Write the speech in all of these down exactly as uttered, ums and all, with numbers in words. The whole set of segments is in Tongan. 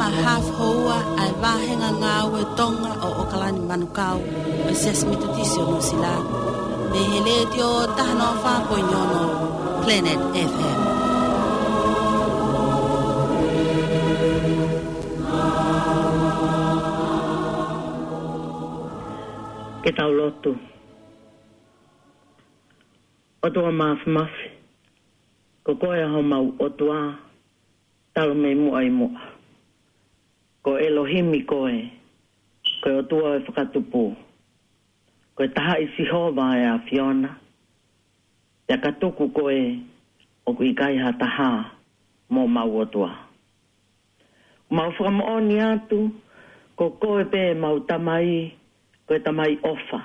Hafu houa ʻa e vāhenga ngāue Tonga ʻo ʻOkalani Manukau ʻo e Siasi Metotisi ʻo Nuʻusila, mei he Letiō taha noa fā poini ono Planet F M. Ke tau lotu. ʻOtua Māfimafi, ko koe ʻa homau ʻOtua, talu mei muʻa ʻi muʻa. Ko ʻElohimi koe, ko e ʻOtua ʻo e fakatupu. Ko e taha ʻi Sihova ʻa e ʻAfiona, pea ka tuku koe ʻoku ʻikai ha taha mo homau ʻOtua. Mau fakamoʻoni atu, ko koe pē mau Tamai, ko e Tamai ʻofa.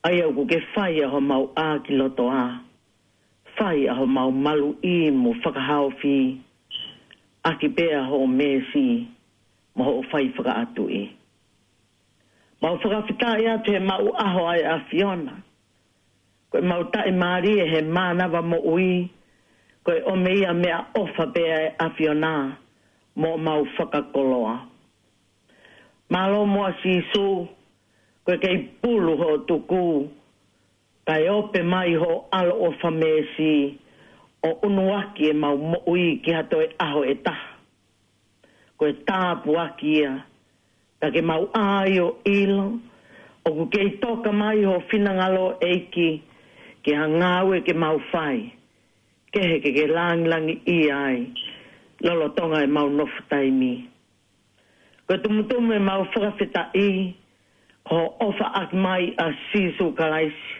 ʻA ia ʻoku ke fai ʻa homau ʻākilotoa, fai ʻa homau maluʻi mo fakahaofi, ʻaki pē ʻa hoʻo meesi mo hoʻo fai fakaʻatuʻi. Mau fakafetaʻi atu he maʻu ʻaho ʻa e ʻAfiona. Ko e mau taʻimālie he mānava moʻui, ko e ʻomi ia meʻaʻofa pē ʻa e ʻAfiona mo mau fakakoloa. Mālō muʻa Sīsū, ko e kei pulu hoʻo tuku, kae ope mai hoʻo ʻAlo ʻofa meesi, ʻo ʻunuaki ʻemau moʻui ki ha toe ʻaho ʻe taha. Ko e tāpuaki ia, ka ke mau ʻai ʻo ʻilo, ʻoku kei toka mai ho finangalo ʻEiki, ki ha ngāue ke mau fai, kehe ke ke langilangiʻia ai, lolotonga ʻemau nofo taimi. Ko e tumutumu ʻemau fakafetaʻi, ko hoʻo ʻofa ʻaki mai ʻa Sīsū Kalaisi,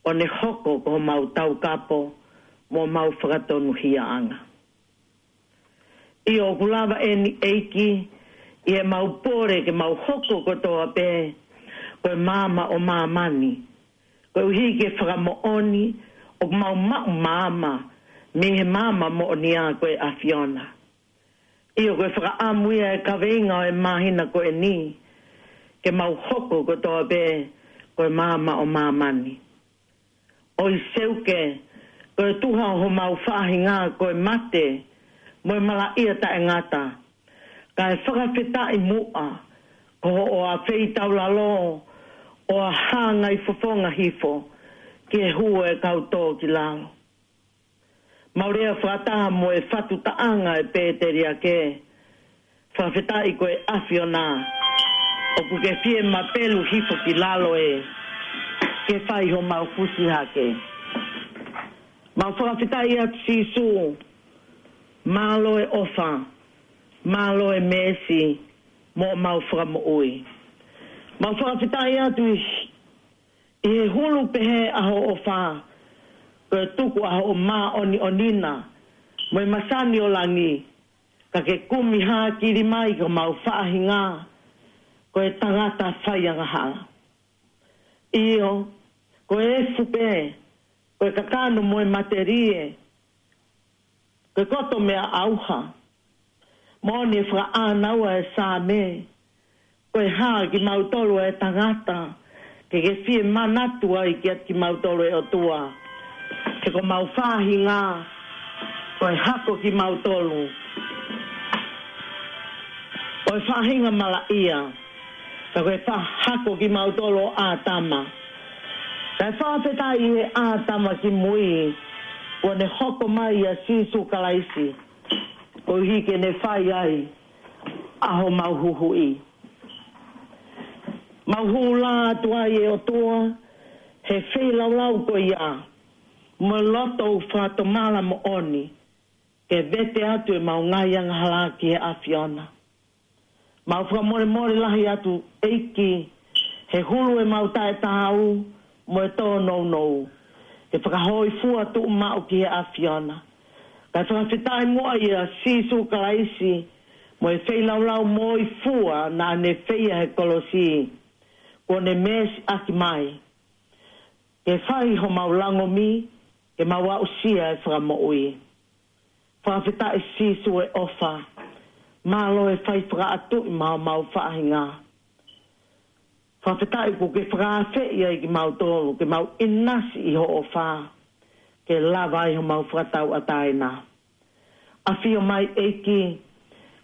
ʻo ne hoko ko homau taukapo, mo homau fakatonuhiaʻanga. ʻIo ʻoku lava eni ʻEiki, ʻi heʻemau pole ke mau hoko kotoa pē, ko e maama ʻo māmani. Koeʻuhi ke fakamoʻoni, ʻoku mau maʻu maama, mei he maama moʻonia ko e ʻAfiona. ʻIo ko e fakaʻamu ia e kaveinga ʻo e māhina ko eni, ke mau hoko kotoa pē, ko e maama ʻo māmani. ʻOi Seuke, ko e tuha ʻo homau faʻahinga ko e mate, mo e malaʻia taʻengata. Kae fakafetaʻi muʻa, ko hoʻo ʻafeitaulalo, ʻo ʻa hangai fofonga hifo, ki he hū ʻo e kau tō ki lalo. Mau lea fakataha mo e fatu taʻanga e pēteliake, fakafetaʻi ko e ʻAfiona, ʻoku ke fie mapelu hifo ki lalo ē, ke fai homau fusi hake. Mau fakafetaʻi atu Sīsū, mālō e ʻofa, mālō e meesi, mo mau fakamoʻui. Mau fakafetaʻi atu ʻi, ʻi he hulu pehē ʻa hoʻo ʻofa, ko e tuku ʻa hoʻo māʻoniʻoni na, mo e masani ʻo langi, ka ke kumi hākili mai ko mau faʻahinga, ko e tangata faiangahala. ʻIo, ko e efu pē, ko e kakano mo e matelie, ko e koto meʻa ʻauha. Moʻoni e fakaʻānaua e Saame, ko e hā kimautolu e tangata, ke ke fie manatu ai kiate kimautolu e ʻOtua. He ko mau faʻahinga, ko e hako kimautolu. Ko e faʻahinga malaʻia, ka ko e fa-, hako kimautolu ʻo ʻĀtama. Kae fakafetaʻi he ʻĀtama ki mui, kuo ne hoko mai ʻa Sīsū Kalaisi, koeʻuhi ke ne fai ai ʻa homau huhuʻi. Mau hū lā atu ai ʻe ʻOtua, he feilaulau ko ia, mo e loto ʻoku fakatomala moʻoni, ke vete atu ʻemau ngaahi angahala ki he ʻAfiona. Mau fakamolemole lahi atu ʻEiki, he hulu ʻemau taʻetaau, mo e tōnounou. Ke fakahōifua tuʻumaʻu ki he ʻAfiona. Kae fakafetaʻi muʻa ʻia Sīsū Kalaisi, mo e feilaulau moʻui fua naʻa ne feia he kolosi. Kuo ne meesi ʻaki mai. Ke fai homau langomi, ke mau aʻusia e fakamoʻui. Fakafetaʻi Sīsū e ʻofa, mālō e fai fakaʻatuʻi maʻa homau faʻahinga. Fakafetaʻi kuo ke fakaafeʻi ai kimautolu, ke mau ʻinasi ʻi hoʻo ʻofa, ke lava ai homau fakatauʻatāina. ʻAfio mai ʻEiki,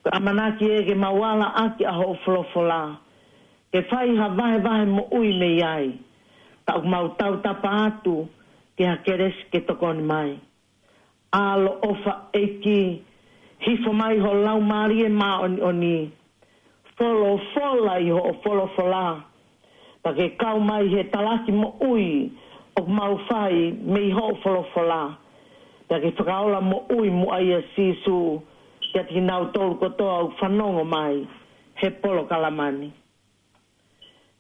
Ko e ʻamanaki ē ke mau ala ʻaki ʻa hoʻo folofola, ke fai ha vahevahe moʻui mei ai. Ka ʻoku mau tautapa atu ki ha kelesi ke tokoni mai. ʻAloʻofa ʻEiki, hifo mai ho Laumālie Māʻoniʻoni, folofola ʻi hoʻo folofola, pea ke kau mai he talaki moʻui ʻoku mau fai mei hoʻo folofola, pea ke fakaola moʻui muʻa ʻia Sīsū kiate kinautolu kotoa ʻoku fanongo mai he polokalama ni.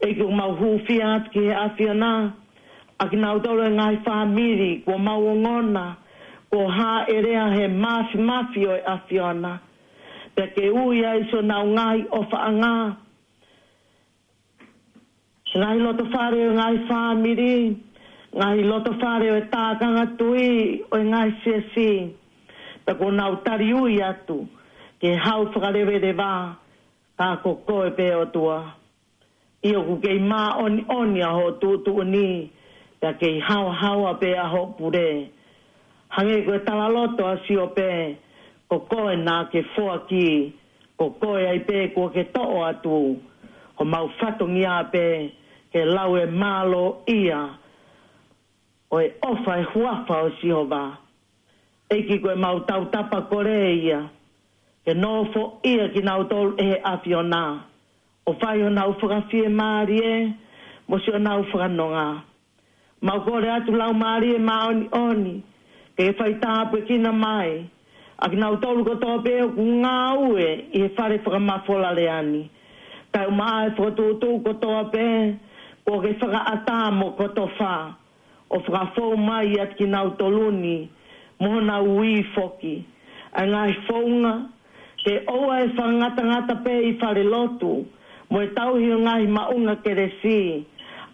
ʻEiki, ʻoku mau hūfia atu ki he ʻAfiona ʻa kinautolu e ngaahi fāmili kuo mau ongona, kuo hāʻelea he māfimafi ʻo e ʻAfiona, pea ke ui ai siʻonau ngaahi ʻofaʻanga, ngaahi lotofale ʻo e ngaahi fāmili, ngaahi lotofale ʻo e tākanga tui ʻo e ngaahi siasi, pea kuo nau taliui atu ki he hau fakaleveleva, ka ko koe pē ʻOtua. ʻIo, ʻoku kei māʻoniʻoni ʻa hoʻo tuʻutuʻuni, pea kei haohaoa pē ʻa hoʻo pule. Hangē ko e talaloto ʻa Siope, ko koe naʻa ke foaki, ko koe ai pē kuo ke toʻo atu, ko homau fatongia pē ke lau e mālō ia ʻo e ʻofa e huafa ʻo Sihova. ʻEiki, ko ʻemau tautapa kole ia, ke nofoʻia kinautolu ʻe he ʻAfiona, ʻo fai honau fakafiemālie mo siʻonau fakanonga. Mau kole atu Laumālie Māʻoniʻoni, ke fai tāpuekina mai ʻa kinautolu kotoa pē ʻoku ngāue ʻi he fale fakamafola lea ni. Kae ʻumaʻā e fokotuʻutuʻu kotoa pē kuo ke fakaʻatā mo kotofa, ʻo fakafou mai ʻiate kinautolu ni mo honau ui foki. ʻA e ngaahi founga, ke ʻoua ʻe fakangatangata pē ʻi falelotu mo e tauhi ʻo e ngaahi maʻunga kelesi,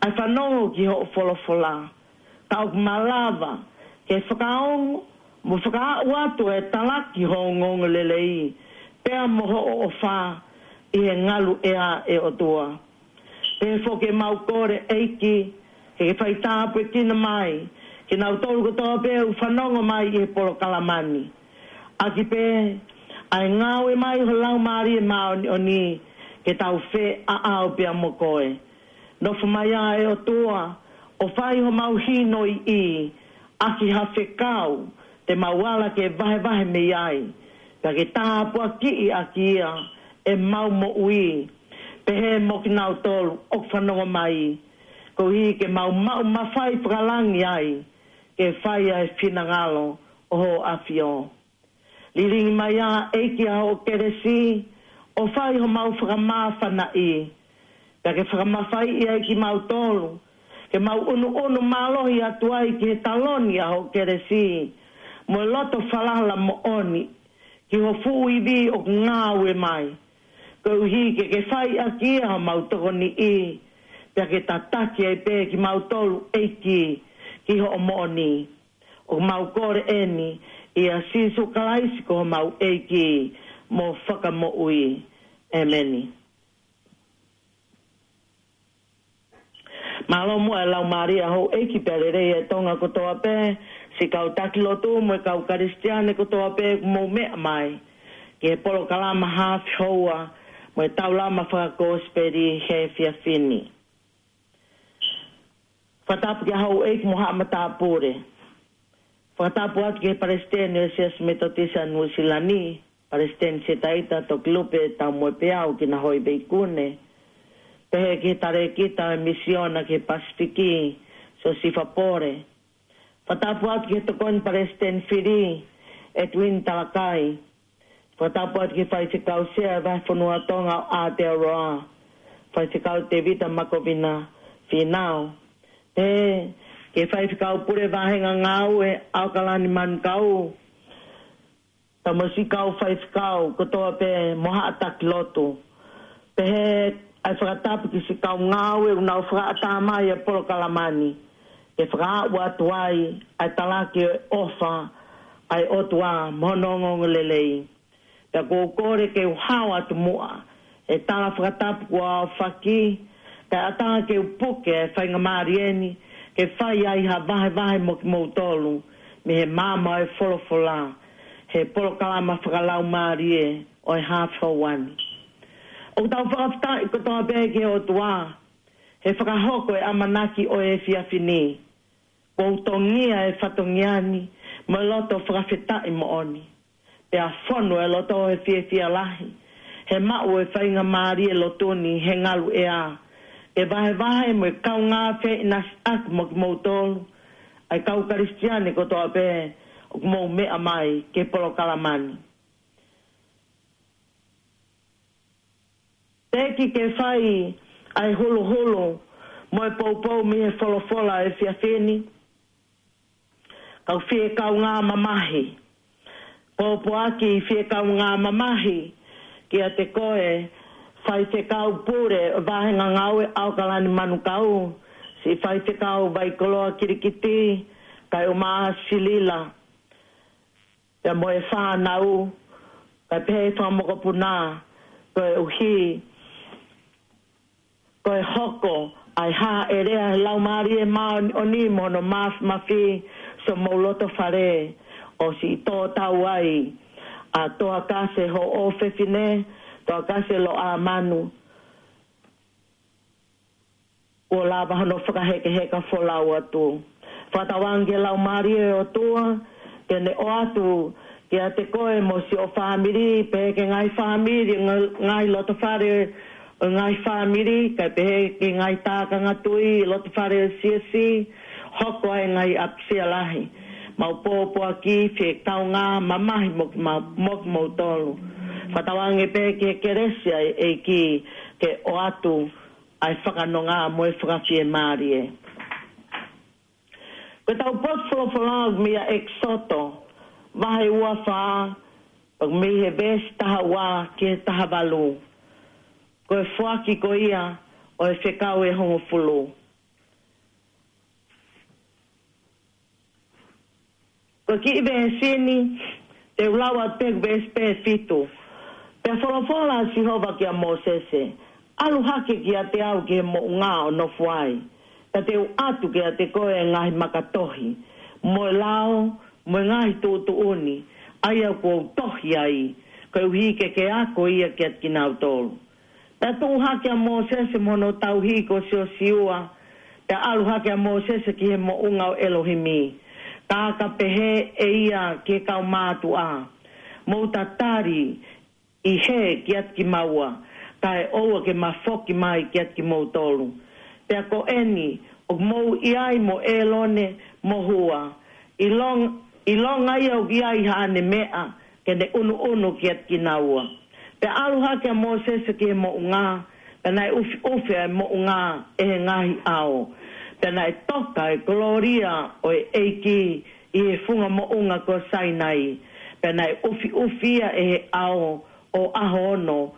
ʻa e fanongo ki hoʻo folofola, ka ʻoku malava ke fakaongo mo fakaaʻu atu e talaki ho ongoongolelei, pea mo hoʻo ʻofa ʻi he ngaluʻea, ʻe ʻOtua. Pea foki ʻemau kole ʻEiki, ke ke fai tāpuekina mai kinautolu kotoa pē ʻoku fanongo mai ʻi he polokalama ni. ʻAki pē ʻa e ngāue mai ho Laumālie Māʻoniʻoni, ke tau feʻaʻau pea mo koe. Nofo mai ā, ʻe ʻOtua, ʻo fai homau hinoiʻi ʻaki ha fekau te mau ala ke vahevahe mei ai, pea ke tāpuakiʻi ʻaki ia ʻemau moʻui, pehē mo kinautolu ʻoku fanongo mai, koeʻuhi ke mau maʻu mafai fakalangi ai ke fai ʻa e finangalo ʻo ho ʻAfio. Lilingi mai ā ʻEiki ʻa hoʻo kelesi, ʻo fai homau fakamāfanaʻi, pea ke fakamafaiʻi ai kimautolu, ke mau ʻunuʻunu mālohi atu ai ki he taloni ʻa hoʻo kelesi, mo e loto falala moʻoni ki ho fuʻu ivi ʻoku ngāue mai, koeʻuhi ke ke fai ʻaki ia homau tokoniʻi, pea ke tataki ai pē kimautolu ʻEiki ki hoʻo moʻoni. ʻOku mau kole eni ʻia Sīsū Kalaisi ko homau ʻEiki mo Fakamoʻui. ʻEmeni. Mālō muʻa e laumālie ʻa houʻeiki pea lelei e Tonga kotoa pē, siʻi kau taki lotu mo e kau Kalisitiane kotoa pē ʻoku mou meʻa mai ki he polokalama Hafi Houa mo e Taulama Fakakosipeli he efiafi ni. Fakatapu ki houʻeiki mo haʻa matāpule. Fakatapu atu ki he Palesiteni ʻo e Siasi Metotisi ʻa Nuʻusila ni, Palesiteni Setaita Tokilupe Taumoepeau Kinahoiveikune. Pehē ki he Talēkita ʻo e Misiona ki he Pasifiki, Siosifa Pole. Fakatapu atu ki he Tokoni Palesiteni Fili, Edwin Talakai. Fakatapu atu ki he Faifekau Sea ʻo e Vahefonua Tonga ʻo Aotearoa, Faifekau Tevita Makovina Fīnau. Pehē ki he Faifekau Pule Vāhenga Ngāue ʻAokalani Manukau, pea mo siʻi kau faifekau kotoa pē mo haʻa taki lotu. Pehē ʻa e fakatapu ki siʻi kau ngāue ʻoku nau fakaʻatā mai e polokalama ni, ke fakaaʻu atu ai ʻa e talaki ʻo e ʻofa ʻa e ʻOtua mo hono ongoongolelei. Pea ʻoku ou kole ke u hao atu muʻa he tala fakatapu kuo aofaki, kae ʻatā ke u puke e faingamālie ni ke fai ai ha vahevahe mo kimoutolu mei he maama ʻo e folofola, he polokalama fakalaumālie ʻo e haafe houa ni. ʻOku tau fakafetaʻi kotoa pē ki he ʻOtua he fakahoko e ʻamanaki ʻo e efiafi ni. Kuo tongia e fatongia ni mo e loto fakafetaʻi moʻoni. Pea fonu e loto he fiefia lahi he maʻu e faingamālie lotu ni he ngaluʻea, ke vahevahe mo e kaungā feʻinasiʻaki mo kimoutolu ʻa e kau Kalisitiane kotoa pē ʻoku mou meʻa mai ki he polokalama ni. Teʻeki ke fai ʻa e huluhulu mo e poupou mei he folofola ʻo e efiafi ni, ka u fie kaungā mamahi. Pōpoaki fie kaungā mamahi kiate koe Faifekau Pule ʻo e Vāhenga Ngāue ʻAokalani Manukau, siʻi Faifekau Vaikoloa Kilikiti, kae ʻumaʻā Silila, pea mo e fānau, kae pehē ki he fanga mokopuna, koeʻuhi ko e hoko ʻa e hāʻele ʻa e Laumālie Māʻoniʻoni mo hono māfimafi, so mou loto fale, ʻo siʻi tō tau ai ʻa Toakase hoʻo ʻofefine, Toakase Loʻamanu, kuo lava hono fakahekeheka folau atu. Fakatauange ki he Laumālie ʻo e ʻOtua ke ne ʻoatu kiate koe mo siʻo fāmili, pehē ki he ngaahi fāmili, ngaahi, ngaahi lotofale ʻo e ngaahi fāmili, kae pehē ki he ngaahi tākanga tui, lotofale ʻo e siasi, hoko ai e ngaahi ʻapisia lahi. Mau pōpoaki fie kaungā mamahi mo, mo, mo kimoutolu. Fakatauange pē ki he kelesi ʻa e ʻEiki ke ʻoatu ʻa e fakanonga mo e fakafiemālie. Ko ʻetau potu folofola mei ʻEkisoto, vahe ua fā, mei he veesi taha ua ki he taha valu. Ko e foaki ko ia ʻo e fekau ʻe hongofulu. Ko e kiʻi veesi ni, te u lau atu pē veesi pē fitu. Pea folofola ʻa Sihova kia Mōsese, ʻalu hake kiate au ki he moʻunga ʻo nofo ai. Pea te u ʻatu kiate koe e ngaahi makatohi, mo e lao, mo e ngaahi tuʻutuʻuni, ʻa ia kuo u tohi ai, koeʻuhi ke ke ako ia kiate kinautolu. Pea tuʻu hake ʻa Mōsese mo hono tauhi ko Siosiua, pea ʻalu hake ʻa Mōsese ki he moʻunga ʻo ʻElohimi. Ka ka pehē ʻe ia ki he kau mātuʻa, mou tatali ʻi hē kiate kimaua, kae ʻoua ke ma foki mai kiate kimoutolu. Pea ko eni, ʻoku mou ʻi ai mo ʻĒlone mo Hua, ʻilong-, ʻilonga ia ʻoku ʻi ai haʻane meʻa, ke ne ʻunuʻunu kiate kinaua. Pea ʻalu hake ʻa Mōsese ki he moʻunga, pea naʻe ʻufiʻufi ʻa e moʻunga ʻe he ngaahi ʻao. Pea naʻe toka e kolōlia ʻo e ʻEiki ʻi he funga moʻunga ko Sainai. Pea naʻe ʻufiʻufi ia ʻe he ʻao ʻo ʻaho ono,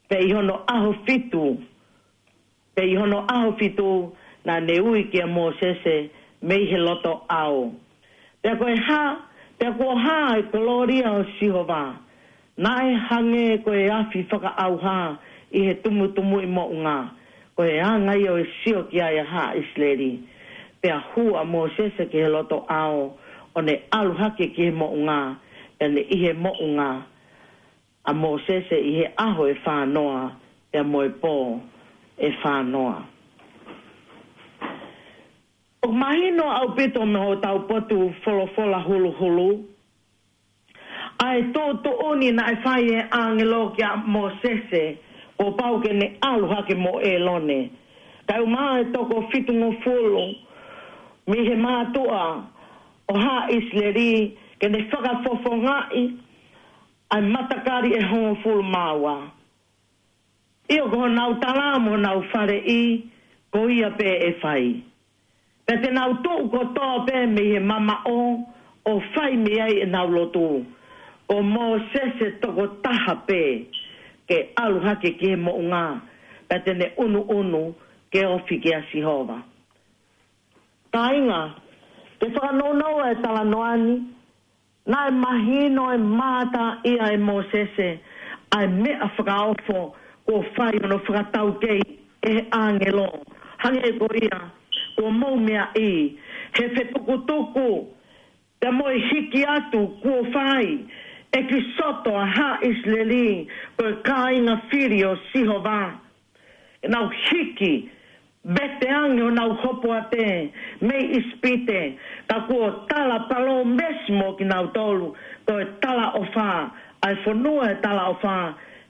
pea ʻi hono ʻaho fitu, pea ʻi hono ʻaho fitu, naʻa ne ui kia Mōsese mei he loto ʻao. Pea ko e hā, pea kuo hā e kolōlia ʻo Sihova, naʻe hangē ko e afi fakaʻauha ʻi he tumutumu ʻi moʻunga, ko e anga ia ʻo e sio ki ai ʻa haʻa ʻIsileli. Pea hū ʻa Mōsese ki he loto ʻao, ʻo ne ʻalu hake ki he moʻunga, pea ne ʻi he moʻunga ʻa Mōsese ʻi he ʻaho ʻe fānoa, pea mo e pō ʻe fānoa. ʻOku mahino ʻaupito mei hotau potu folofola huluhulu ʻa e tuʻutuʻuni naʻe fai ʻe he ʻāngelo kia Mōsese, kuo pau ke ne ʻalu hake mo ʻĒlone, kae ʻumaʻā e toko fitungofulu mei he mātuʻa ʻo haʻa ʻIsileli, ke ne fakafofongaʻi ʻa e matakali ʻe hongofulu mā ua. ʻIo, ko honau tala mo honau faleʻi, ko ia pē ʻe fai. Pea te nau tuʻu kotoa pē mei he mamaʻo ʻo fai mei ai ʻenau lotu. Ko Mōsese tokotaha pē ke ʻalu hake ki he moʻunga, pea te ne ʻunuʻunu ke ofi kia Sihova. Kāinga, ke fakanounou e talanoa ni, naʻe mahino e mātā ia ʻe Mōsese ʻa e meʻa fakaofo kuo fai hono fakataukei ʻe he ʻāngelo. Hangē ko ia, kuo mou meaʻi, he fetukutuku, pea mo e hiki atu kuo fai ʻEkisoto ʻa haʻa ʻIsileli, ko e kāinga fili ʻo Sihova. Ke nau hiki, vete ange honau hopoate mei ʻIsipite, ka kuo tala palōmesi mo kinautolu, ko e talaʻofa, ʻa e fonua ʻo e talaʻofa,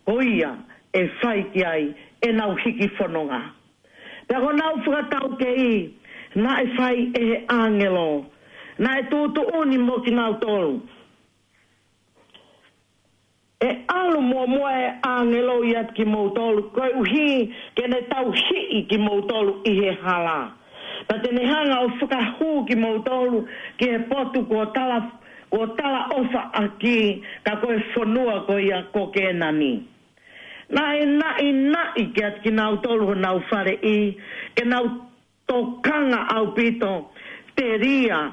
ko ia ʻe fai ki ai ʻenau hiki fononga. Pea ko honau fakataukei, naʻe fai ʻe he ʻāngelo, naʻe tuʻutuʻuni mo kinautolu. ʻE ʻalu muʻomuʻa e ʻāngelo ʻiate kimoutolu, koeʻuhi ke ne tauhi kimoutolu ʻi he hala. Pea te ne hanga ʻo fakahū kimoutolu ki he potu kuo tala, kuo talaʻofa ʻaki, ka ko e fonua ko ia ko Kēnani. Naʻe naʻinaʻi kiate kinautolu honau faleʻi, ke nau tokanga ʻaupito, telia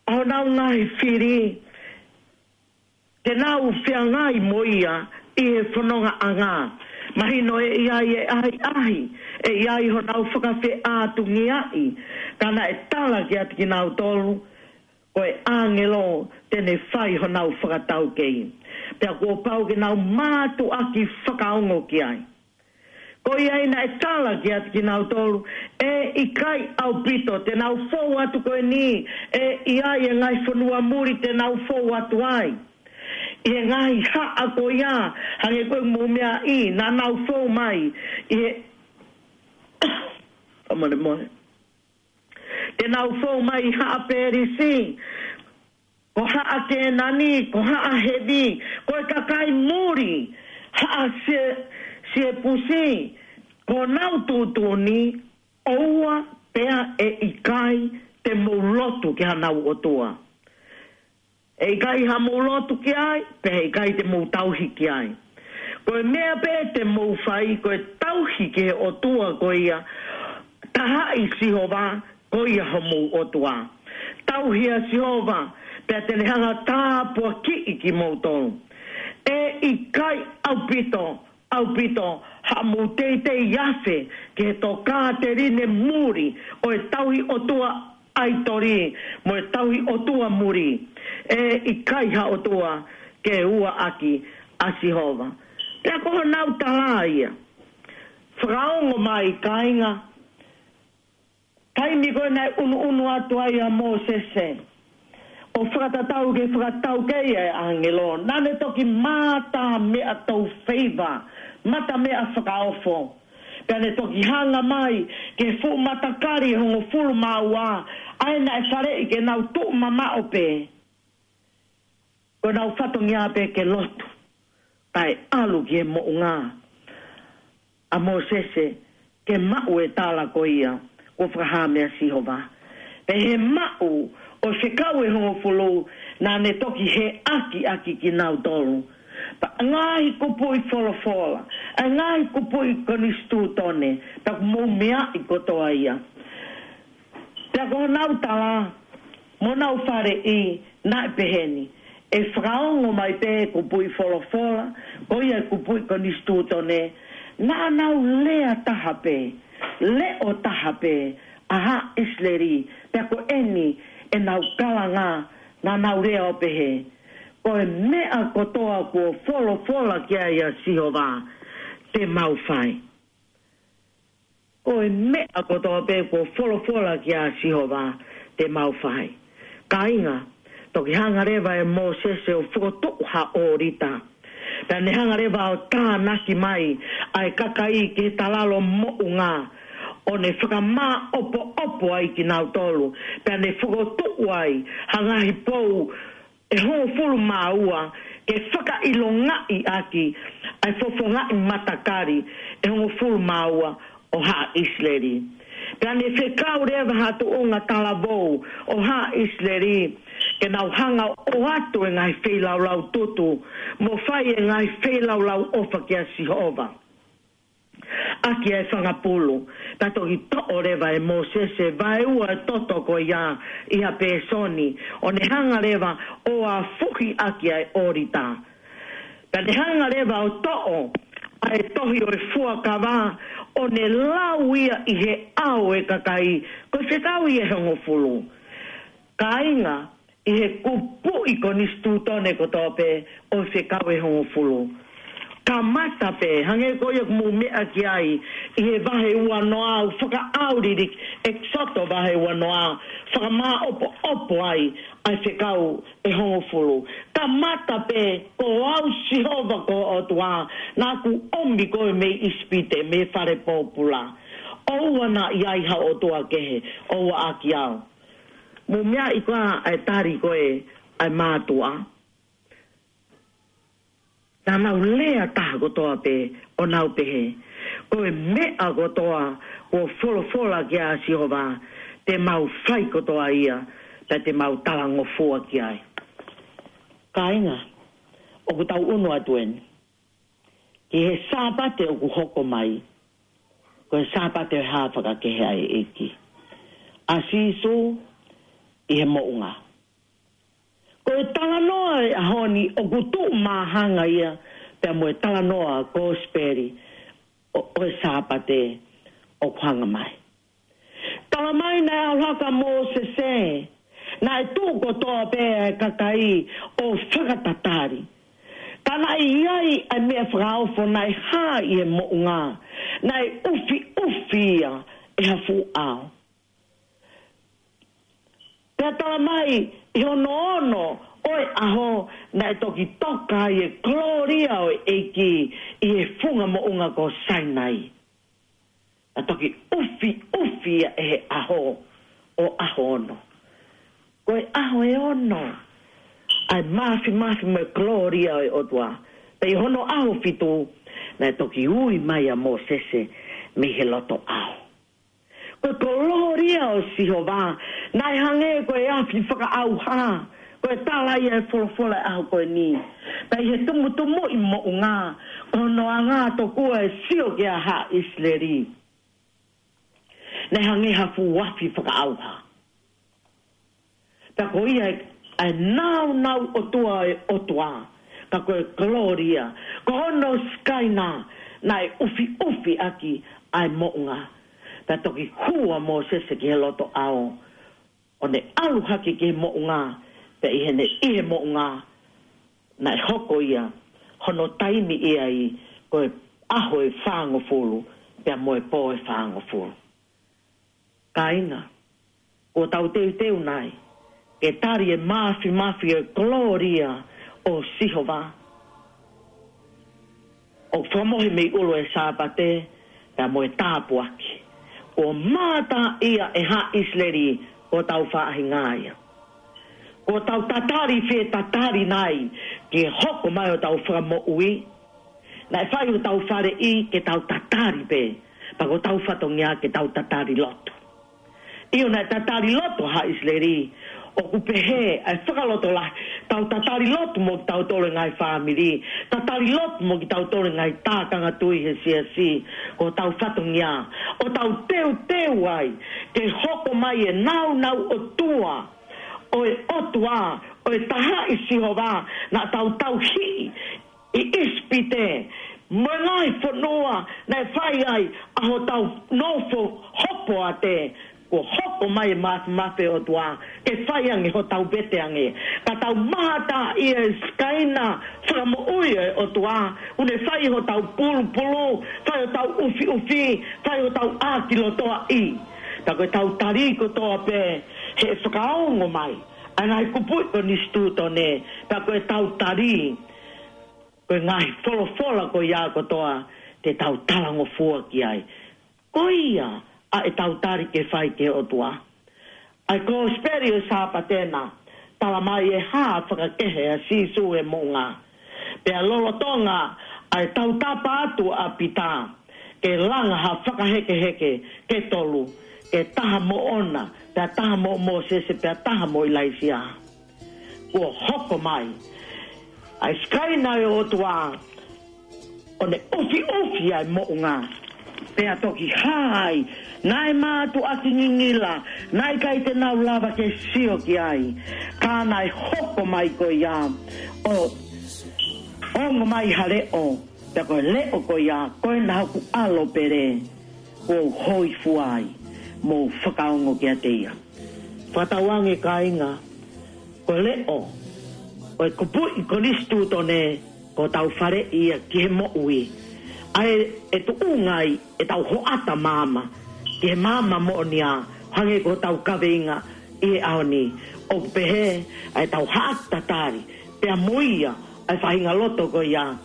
ʻa honau ngaahi fili, ke nau feangai mo ia ʻi he fonongaʻanga. Mahino ʻe ʻi ai e ʻahiʻahi, ʻe ʻi ai honau fakafeʻātungiaʻi, ka naʻe tala kiate kinautolu, ko e ʻāngelo te ne fai honau fakataukei. Pea kuo pau ke nau mātuʻaki fakaongo ki ai. Ko ia ai naʻe tala kiate kinautolu, ʻe ʻikai ʻaupito, te nau fou atu ko eni, ʻe ʻi ai e ngaahi fonua muli te nau fou atu ai. ʻI he ngaahi haʻa ko ia, hangē ko e mou meaʻi, naʻa nau fou mai, ʻi he, ka mole mole. Te nau fou mai haʻa Pēlisi, ko haʻa Kēnani, ko haʻa Hevi, ko e kakai muli, haʻa Sie-, Siepusi, ko honau tuʻutuʻuni, ʻoua pea ʻe ʻikai te mou lotu ki hanau ʻotua. ʻE ʻikai haʻamou lotu ki ai, pea ʻe ʻikai te mou tauhi ki ai. Ko e meʻa pē te mou fai, ko e tauhi ki he ʻotua ko ia, taha ʻi Sihova, ko ia homou ʻotua. Tauhi ʻa Sihova, pea te ne hanga tāpuakiʻi kimoutolu. ʻE ʻikai ʻaupito, ʻaupito, haʻamou teitei afe ki he tokāteline muli ʻo e tauhi ʻotua ʻaitoli, mo e tauhi ʻotua muli. ʻE ʻikai ha ʻotua ke ua ʻaki ʻa Sihova. Pea ko honau tala ia. Fakaongo mai kāinga, taimi ko ē naʻe ʻunuʻunu atu ai ʻa Mōsese ʻo fakatatau ki he fakataukei ʻa e ʻāngelo, naʻa ne toki mata meʻa tou feiva, mata meʻa fakaofo. Pea ne toki hanga mai ki he fuʻu matakali ʻe hongofulu mā ua, ʻa ē naʻe faleʻi ke nau tuʻu mamaʻo pē. Ko ʻenau fatongia pē ke lotu, kae ʻalu ki he moʻunga ʻa Mōsese ke maʻu e tala ko ia kuo fakahā meia Sihova. Pea ʻi he maʻu ʻo e fekau ʻe hongofulu, naʻa ne toki heʻaki ʻaki kinautolu. Pea ngaahi kupuʻi folofola, ʻa e ngaahi kupuʻi konisitūtone, pea kuo mou meaʻi kotoa ia. Pea ko honau tala, mo honau faleʻi, naʻe peheni. ʻE fakaongo mai pē kupuʻi folofola, ko ia kupuʻi konisitūtone, naʻa nau lea taha pē, leʻo taha pē, ʻa haʻa ʻIsileli, pea ko eni ʻenau kalanga, naʻa nau lea ʻo pehē. Ko e meʻa kotoa kuo folofola ki ai ʻa Sihova, te mau fai. Ko e meʻa kotoa pē kuo folofola ki ai ʻa Sihova te mau fai. Kāinga, toki hanga leva ʻe Mōsese ʻo fokotuʻu ha ʻōlita. Pea ne hanga leva ʻo tānaki mai ʻa e kakai ki he talalo moʻunga, ʻo ne fakamāʻopoʻopo ai kinautolu. Pea ne fokotuʻu ai ha ngaahi pou ʻe hongofulu mā ua, ke fakaʻilongaʻi ʻaki ʻa e fofongaʻi matakali ʻe hongofulu mā ua ʻo haʻa ʻIsileli. Pea ne fekau leva ha tuʻunga talavou ʻo haʻa ʻIsileli, ke nau hanga ʻo ʻoatu e ngaahi feilaulau tutu, mo fai e ngaahi feilaulau ʻofa kia Sihova. ʻAki ʻa e fanga pulu, pea toki toʻo leva ʻe Mōsese vaeua ʻo e toto ko ia ʻi ha pēsoni, ʻo ne hanga leva ʻo afuhi ʻaki ʻa e ʻōlita. Pea ne hanga leva ʻo toʻo ʻa e tohi ʻo e fuakava, ʻo ne lau ia ʻi he ʻao ʻo e kakai, ko e fekau ia ʻe hongofulu. Kāinga, ʻi he kupuʻi konisitūtone kotoa pē ʻo e fekau ʻe hongofulu. Kamata pē, hangē ko ia ʻoku mou meʻa ki ai, ʻi he vahe ua noa, ʻoku fakaʻauliliki, ʻEkisoto vahe ua noa, fakamāʻopoʻopo ai ʻa e fekau ʻe hongofulu. Kamata pē, ko au Sihova ko ho ʻOtua, naʻa ku ʻomi koe mei ʻIsipite, mei he fale pōpula. ʻOua naʻa ʻi ai ha ʻotua kehe ʻo uaʻaki au. Mou meaʻi koā ʻa e tali ko ē ʻa e mātuʻa? Naʻa nau lea taha kotoa pē ʻo nau pehē, ko e meʻa kotoa kuo folofola ki ai ʻa Sihova, te mau fai kotoa ia, pea te mau talangofua ki ai. Kāinga, ʻoku tau ʻunu atu eni ki he Sāpate ʻoku hoko mai, ko e Sāpate ʻo e hā fakakehe ʻa e ʻEiki, ʻa Sīsū ʻi he moʻunga. Ko e talanoa ʻo e ʻaho ni ʻoku tuʻu māhanga ia pea mo e talanoa Kōsipeli ʻo, ʻo e Sāpate ʻoku hanga mai. Tala mai naʻe ʻalu hake ʻa Mōsese, naʻe tuʻu kotoa pē ʻa e kakai ʻo fakatatali. Ka naʻe ʻi ai ʻa e meʻa fakaofo naʻe hā ʻi he moʻunga, naʻe ʻufiʻufi ia ʻe ha fuʻu ʻao. Pea tala mai, ʻi hono ono ʻo e ʻaho, naʻe toki toka ai e kolōlia ʻo e ʻEiki ʻi he funga moʻunga ko Sainai. Naʻe toki ʻufiʻufi ia ʻe he ʻaho ʻo ʻaho ono. Ko e ʻaho ʻe ono, ʻa e māfimafi mo e kolōlia ʻo e ʻOtua. Pea ʻi hono ʻaho fitu, naʻe toki ui mai ʻa Mōsese mei he loto ʻao. Ko e kolōlia ʻo Sihova, naʻe hangē ko e afi fakaʻauha, ko e tala ia ʻa e folofola ʻo e ʻaho ko eni. Pea ʻi he tumutumu ʻi moʻunga, ko hono anga tokua ʻe sio ki ai ʻa ʻIsileli, naʻe hangē ha fuʻu afi fakaʻauha. Pea ko ia ʻa e nāunau ʻOtua ʻo e ʻOtua, ka ko e kolōlia, ko hono Sikaina, naʻe ʻufiʻufi ʻaki ʻa e moʻunga. Pea toki hū ʻa Mōsese ki he loto ʻao, ʻo ne ʻalu hake ki he moʻunga, pea ʻi heʻene ʻi he moʻunga, naʻe hoko ia, hono taimi ia ai, ko e ʻaho ʻe fāngofulu, pea mo e pō ʻe fāngofulu. Kāinga, kuo tau teuteu nai ke tali e māfimafi ʻo e kolōlia ʻo Sihova, ʻoku fakamohe mei ʻulu ʻo e Sāpate, pea mo e tāpuaki. Kuo mātā ia ʻe haʻa ʻIsileli, ko hotau faʻahinga ia. Kuo tau tatali fie tatali nai ke hoko mai hotau fakamoʻui. Naʻe fai hotau faleʻi ke tau tatali pē, pea ko hotau fatongia ke tau tatali lotu. ʻIo, naʻe tatali lotu haʻa ʻIsileli, ʻoku pehē ʻa e fakalotolahi, tau tatali lotu mo kitautolu e ngaahi fāmili, tatali lotu mo kitautolu e ngaahi tākanga tui he siasi, ko hotau fatongia, ʻo tau teuteu ai ke hoko mai e nāunau ʻOtua ʻo e ʻOtua, ʻo e taha ʻi Sihova, naʻa tau tauhi ʻi ʻIsipite, mo e ngaahi fonua naʻe fai ai ʻa hotau nofo hopoate, kuo hoko mai e māfimafi ʻo e ʻOtua, ke fai ange hotau vete ange. Ka tau mātā ʻi he Sikaina fakamoʻui ʻo e ʻOtua, ʻoku ne fai hotau pulupulu, fai hotau ʻufiʻufi, fai hotau ʻākilotoaʻi. Pea ko ʻetau tali kotoa pē, he fakaongo mai ʻa e ngaahi kupuʻi konisitūtone, pea ko ʻetau tali, ko e ngaahi folofola ko ia kotoa te tau talangofua ki ai. Ko ia ʻa ʻetau tali ke fai ki he ʻOtua. ʻA e Kōsipeli ʻo e Sāpate na, tala mai e hā fakakehe ʻa Sīsū he moʻunga. Pea lolotonga ʻa e tautapa atu ʻa Pita, ke langa ha fakahekeheke ke tolu, ke taha mo ʻOna, pea taha mo Mōsese, pea taha mo ʻIlaisiā. Kuo hoko mai ʻa e Sikaina ʻo e ʻOtua, ʻo ne ʻufiʻufi ʻa e moʻunga, pea toki hā ai, naʻe mātuʻaki ngingila, naʻe ʻikai te nau lava ke sio ki ai, ka naʻe hoko mai ko ia, ʻo ongo mai ha leʻo, pea ko e leʻo ko ia, ko ena hoku ʻAlo pele, kuo u hōifua ai, mou fakaongo kiate ia. Fakatauange kāinga, Ko e leʻo ʻo e kupuʻi konisitūtone, ko hotau faleʻi ia ki he moʻui. ʻA ē ʻe tuʻunga ai ʻetau hoʻata maama ki he maama moʻonia, hangē ko hotau kaveinga ʻi he ʻaho ni. ʻOku pehē ʻa ʻetau haʻaki tatali pea mo ia ʻa e faʻahinga loto ko ia,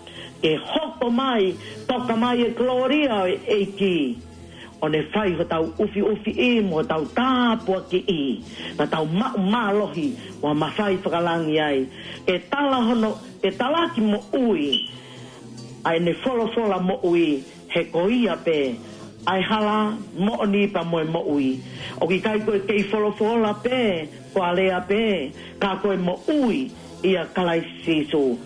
ke hoko mai, toka mai e kolōlia ʻo e ʻEiki, ʻo ne fai hotau ʻufiʻufiʻi mo hotau tāpuakiʻi, ka tau maʻu mālohi ʻo mafai fakalangi ai. Ke tala hono, ke talaki moʻui ʻa ʻene folofola moʻui, he ko ia pē ʻa e hala, moʻoni pea mo e moʻui. ʻOku ʻikai ko e kei folofola pē, ko e lea pē, ka ko e moʻui ʻia Kalaisi Sīsū.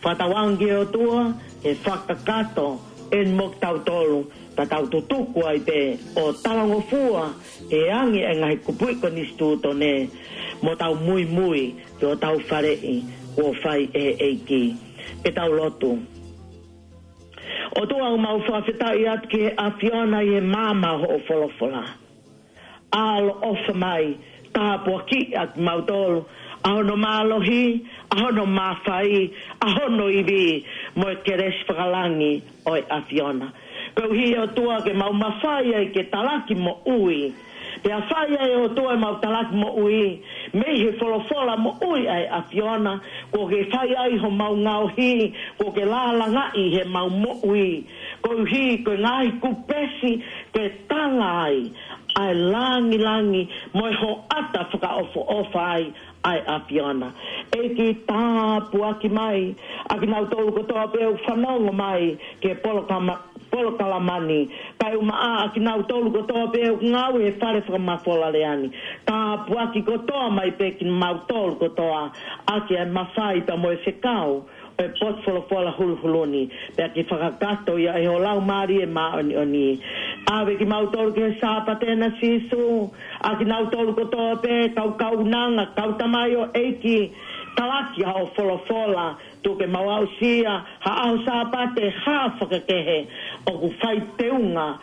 Fakatauange ki he ʻOtua ke fakakakato eni mo kitautolu, ka tau tutuku ai pē ʻo talangofua he angi e ngaahi kupuʻi konisitūtone, mo tau muimui ki hotau faleʻi kuo fai ʻe he ʻEiki. Ke tau lotu. ʻOtua, ʻoku mau fakafetaʻi atu ki he ʻAfiona ʻi he maama ʻo hoʻo folofola. ʻAloʻofa mai, tāpuakiʻi ʻa kimautolu ʻa hono mālohi, ʻa hono mafai, ʻa hono ivi, mo e kelesi fakalangi ʻo e ʻAfiona. Koeʻuhi, ʻOtua, ke mau mafai ai ke talaki moʻui. Pea fai ai, ʻOtua, ʻemau talaki moʻui mei he folofola moʻui ʻa e ʻAfiona, kuo ke fai ai homau ngaohi, kuo ke lālangaʻi heʻemau moʻui. Koeʻuhi ko e ngaahi kupesi ke tala ai ʻa e langilangi mo e hoʻata fakaʻofoʻofa ai ʻa e ʻAfiona. ʻEiki, tāpuaki mai ʻa kinautolu kotoa pē ʻoku fanongo mai ki he polokama-, polokalama ni, kae ʻumaʻā ʻa kinautolu kotoa pē ʻoku ngāue he fale fakamafola lea ni. Tāpuaki kotoa mai pē kimautolu kotoa ʻaki ʻa e mafai pea mo e fekau ʻo e potu folofola huluhulu ni, pea ke fakakakato ia ʻe ho Laumālie Māʻoniʻoni. ʻAve kimautolu ki he Sāpate na, Sīsū, ʻa kinautolu kotoa pē, kau kaunanga, kau tamaioʻeiki, talaki ʻa hoʻo folofola, tuku ke mau aʻusia ha ʻaho Sāpate hā fakakehe, ʻoku fai teunga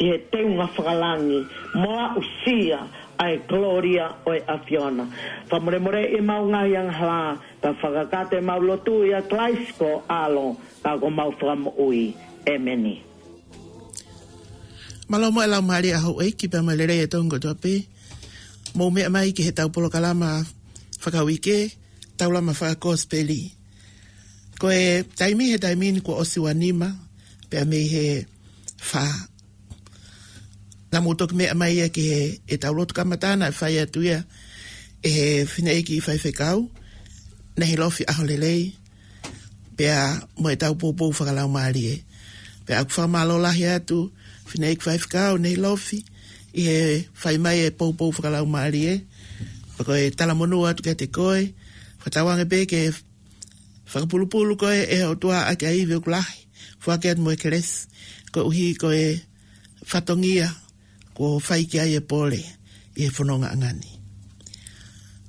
ʻi he teunga fakalangi, mo aʻusia ʻa e kolōlia ʻo e ʻAfiona. Fakamolemoleʻi ʻemau ngaahi angahala, ka fakakakato ʻemau lotu ʻia Kalaisi ko ho ʻAlo, ka ko homau Fakamoʻui. ʻĒmeni. Mālō mo e laumālie ʻa houʻeiki pea mo e lelei ʻa e toenga kotoa pē. Mou meʻa mai ki heʻetau polokalama fakauike, Taulama Fakakosipeli. Ko e taimi he taimi ni kuo ʻosi ua nima, pea mei he fā. Naʻa mou toki meʻa mai ia ki heʻetau lotu kamata naʻe fai atu ia ʻe he fineʻeiki faifekau, Nehilofi ʻAholelei, pea mo ʻetau poupou fakalaumālie. Pea ʻoku fakamālō lahi atu, fineʻeiki faifekau Nehilofi, ʻi he fai mai e poupou fakalaumālie, pea ko e talamonū atu kiate koe, fakatauange pē ke fakapulupulu koe ʻe he ʻOtua ʻaki ʻa e ivi ʻoku lahi, foaki atu mo e kelesi, koeʻuhi ko e fatongia kuo fai ki ai e pole ʻi he fononga ʻanga ni.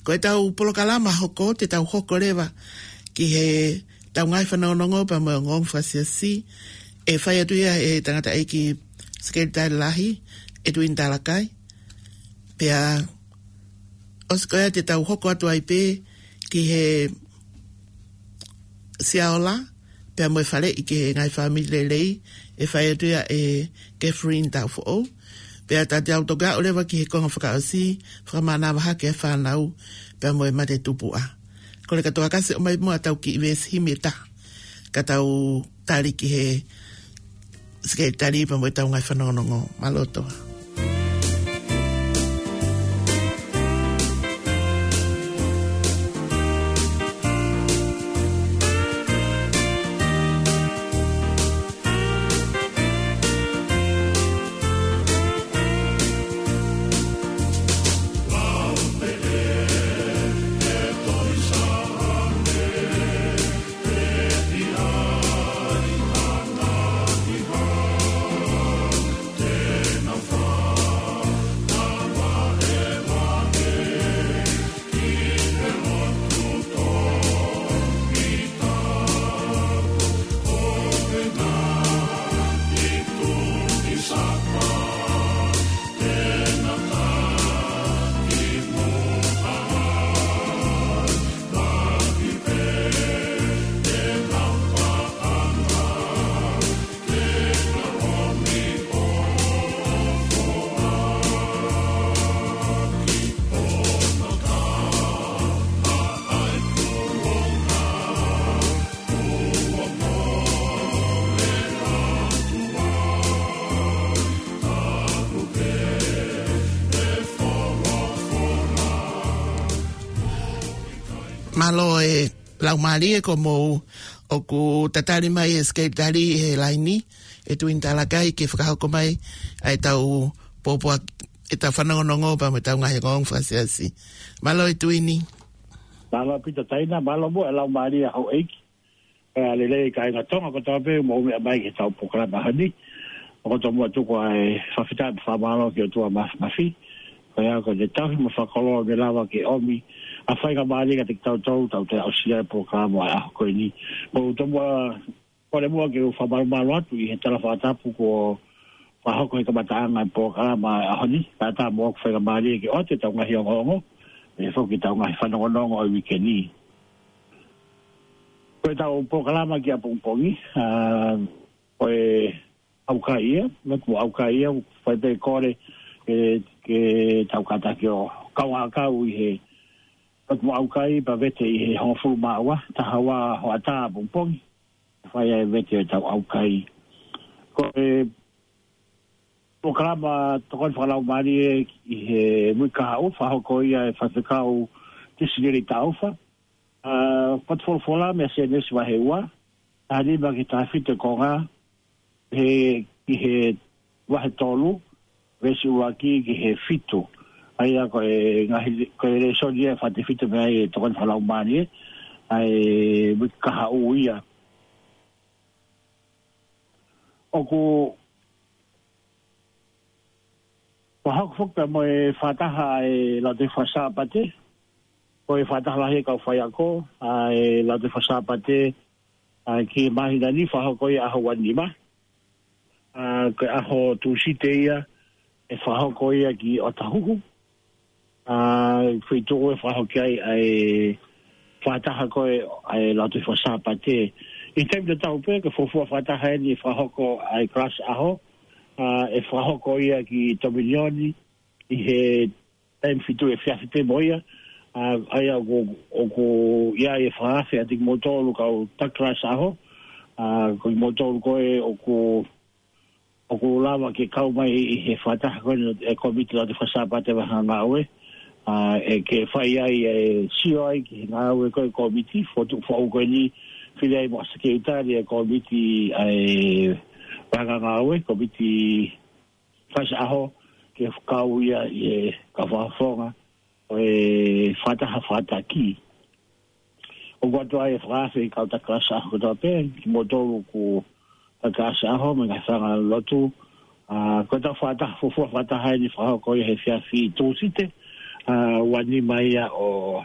Ko ʻetau polokalama hoko, te tau hoko leva ki heʻetau ngaahi fanongonongo pea mo e ongoongo fakasiasi, ʻe fai atu ia ʻe he tangataʻeiki Sekelitali Lahi, ʻEtuini Talakai. Pea ʻosi ko ia te tau hoko atu ai pē ki he Siaola, pea mo e faleʻi ki he ngaahi fāmili lelei, ʻe fai atu ia ʻe Catherine Taufoʻou. Pea te tau toki aʻu leva ki he konga fakaʻosi, fakamānava hake e fānau, pea mo e mate tupuʻa. Kole kātoa ke ʻosi ʻomai muʻa ʻetau kiʻi veesi himi ʻe taha, ka tau tali ki he Sekelitali pea mo ʻetau ngaahi fanongonongo. Mālō Toa. Mālō e laumālie ko mou ʻoku tatali mai e Skype tali he laini, e Tuini Talakai ke fakahoko mai ʻa e tau pōpua, e tau fanongonongo pea mo e tau ngaahi ongoongo fakasiasi. Mālō e Tuini. Mālō Pita Taina, mālō mo e laumālie ʻa houʻeiki. Pea lelei kāinga Tonga kotoa pē mou meʻa mai ki he tau polokalama ʻaho ni. ʻOku ou tomuʻa tuku ʻa e fakafetaʻi mo e fakamālō ki he ʻOtua Mafimafi. Ko ia ko e tauhi mo e fakakoloa ke lava ke ʻomi ʻa e faingamālie kiate kitautolu, tau toe aʻusia e polokalama ʻo e ʻaho ko eni. Mou tomuʻa kole muʻa ke u fakamalumalu atu ʻi he tala fakatapu kuo fakahoko he kamataʻanga e polokalama ʻo e ʻaho ni. Kae ʻatā moʻoku faingamālie ke ʻoatu e tau ngaahi ongoongo, pehē foki e tau ngaahi fanongonongo ʻo e uike ni. Ko e tau polokalama ki ʻapongipongi, ʻa, ko e ʻaukai ia, lotu mo ʻaukai ia, fai pē kole, ke, ke tau kātaki ʻo kaungā kau ʻi he lotu mo ʻaukai pea vete ʻi he hongofulu mā ua, taha ua hoʻatā ʻapongipongi, fai ai e vete ʻo e tau ʻaukai. Ko e polokalama tokoni fakalaumālie ʻi he uike kahaʻu, fakahoko ia ʻe he faifekau Tisilili Taufa. ʻA, potu folofola mei he Sēnesi vahe ua, taha nima ki he taha fitu e konga, he, ki he vahe tolu, veesi ʻuluaki ki he fitu. ʻA ia ko e ngaahi, ko e lēsoni ia ʻe fakatefito mei ai e tokoni fakalaumālie, ʻa e uike kahaʻu ia. ʻOku fakahoko foki pea mo e fakataha ʻa e Lautohi Faka-Sāpate, ko e fakataha lahi e kau faiako ʻa e Lautohi Faka-Sāpate, ʻa, ki he māhina ni fakahoko ia ʻaho ua nima. ʻA, ko e ʻaho Tūsite ia ʻe fakahoko ia ki ʻOtahuhu. ʻA, feituʻu ʻe fakahoko ai ʻa e fakataha ko ē ʻa e Lautohi Faka-Sāpate. ʻI he taimi tatau pē, ko e fuofua fakataha eni ʻe fakahoko ʻa e kalasi ʻaho, ʻa, ʻe fakahoko ia ki Tominioni ʻi he taimi fitu efiafi pē mo ia, ʻa, ʻa ia ʻoku, ʻoku ʻi ai e fakaafe ʻa kimoutolu kau taki kalasi ʻaho, ʻa, ko kimoutolu ko ē ʻoku, ʻoku lava ke kau mai ʻi he fakataha ko ē ʻa e Kōmiti Lautohi Faka-Sāpate Vahefonua Ngāue, ʻa, ʻe ke fai ai e sio ai ki he ngāue ko ē ʻa e kōmiti, fotu foʻou ko eni, fili ai mo e sekelitali ʻa e kōmiti ʻa e Vahefonua Ngāue, kōmiti kalasi ʻaho, ke kau ia ʻi he kau fakafofonga ʻo e fakataha fakataki. ʻOku ʻoatu ai e fakaafe ki he kau taki kalasi ʻaho kotoa pē, kimoutolu ʻoku taki kalasi ʻaho, mo e ngaahi fanga lotu, ʻa, ko e tau fakataha, fuofua fakataha eni ʻe fakahoko ia he efiafi Tūsite, ʻa, ua nima ia ʻo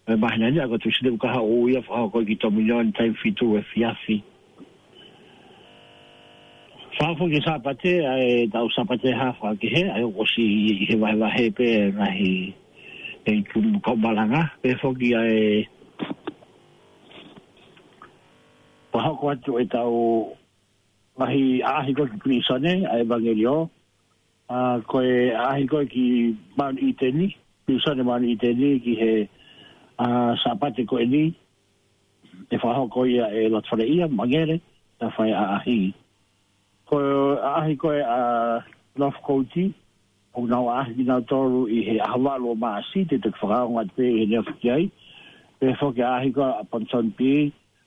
e māhina ni, ʻa, ko e Tūsite uike kahaʻu ia ʻe fakahoko ki Tominioni taimi fitu efiafi. Fakahoko ki he Sāpate, ʻa e tau Sāpate Hafa kehe, ʻa ia ʻoku ʻosi ʻi he vahevahe pē ngaahi ʻe i kunu kau malanga, pehē foki ʻa e fakahoko atu e tau ngaahi ʻaʻahi ko ē ki pilīsone, ʻa e ʻevangeliō, ʻa, ko e ʻaʻahi ko ē ki Mount Eden, pilīsone Mount Eden ki he, ʻa, Sāpate ko eni, ʻe fakahoko ia ʻe Lotofaleʻia Mangele, ta fai ʻaʻahi. Ko e ʻaʻahi ko ē ʻa Northcote, ʻoku nau ʻaʻahi kinautolu ʻi he ʻaho valu ʻo Maʻasi, te u toki fakaongo atu pē ʻi he neongo ki ai. Pehē foki ʻaʻahi ko ē ʻa Ponsonby,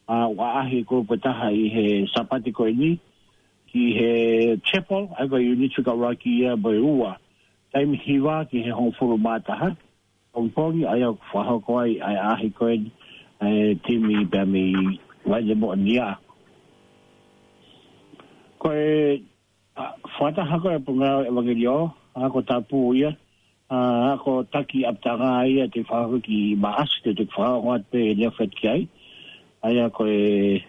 ʻa, ʻoku ʻaʻahi e kulupu ʻe taha ʻi he Sāpate ko eni, ki he chapel, ʻa ia ko e unit fika ʻuluaki ia mo e ua. Taimi hiva ki he hongofulu mā taha, pongipongi, ʻa ia ʻoku fakahoko ai ʻa e ʻaʻahi ko eni, ʻa e timi pea mei Vaine Moʻonia. Ko e, ʻa, fakataha ko ē ʻa e pū ngāue ʻevangeliō, ʻa, ako tāpū ia, ʻa, ako taki ʻapitanga ia te u fakahoko ki Maʻasi, te u toki fakaongo atu pē ʻe neongo atu ki ai. ʻA ia ko e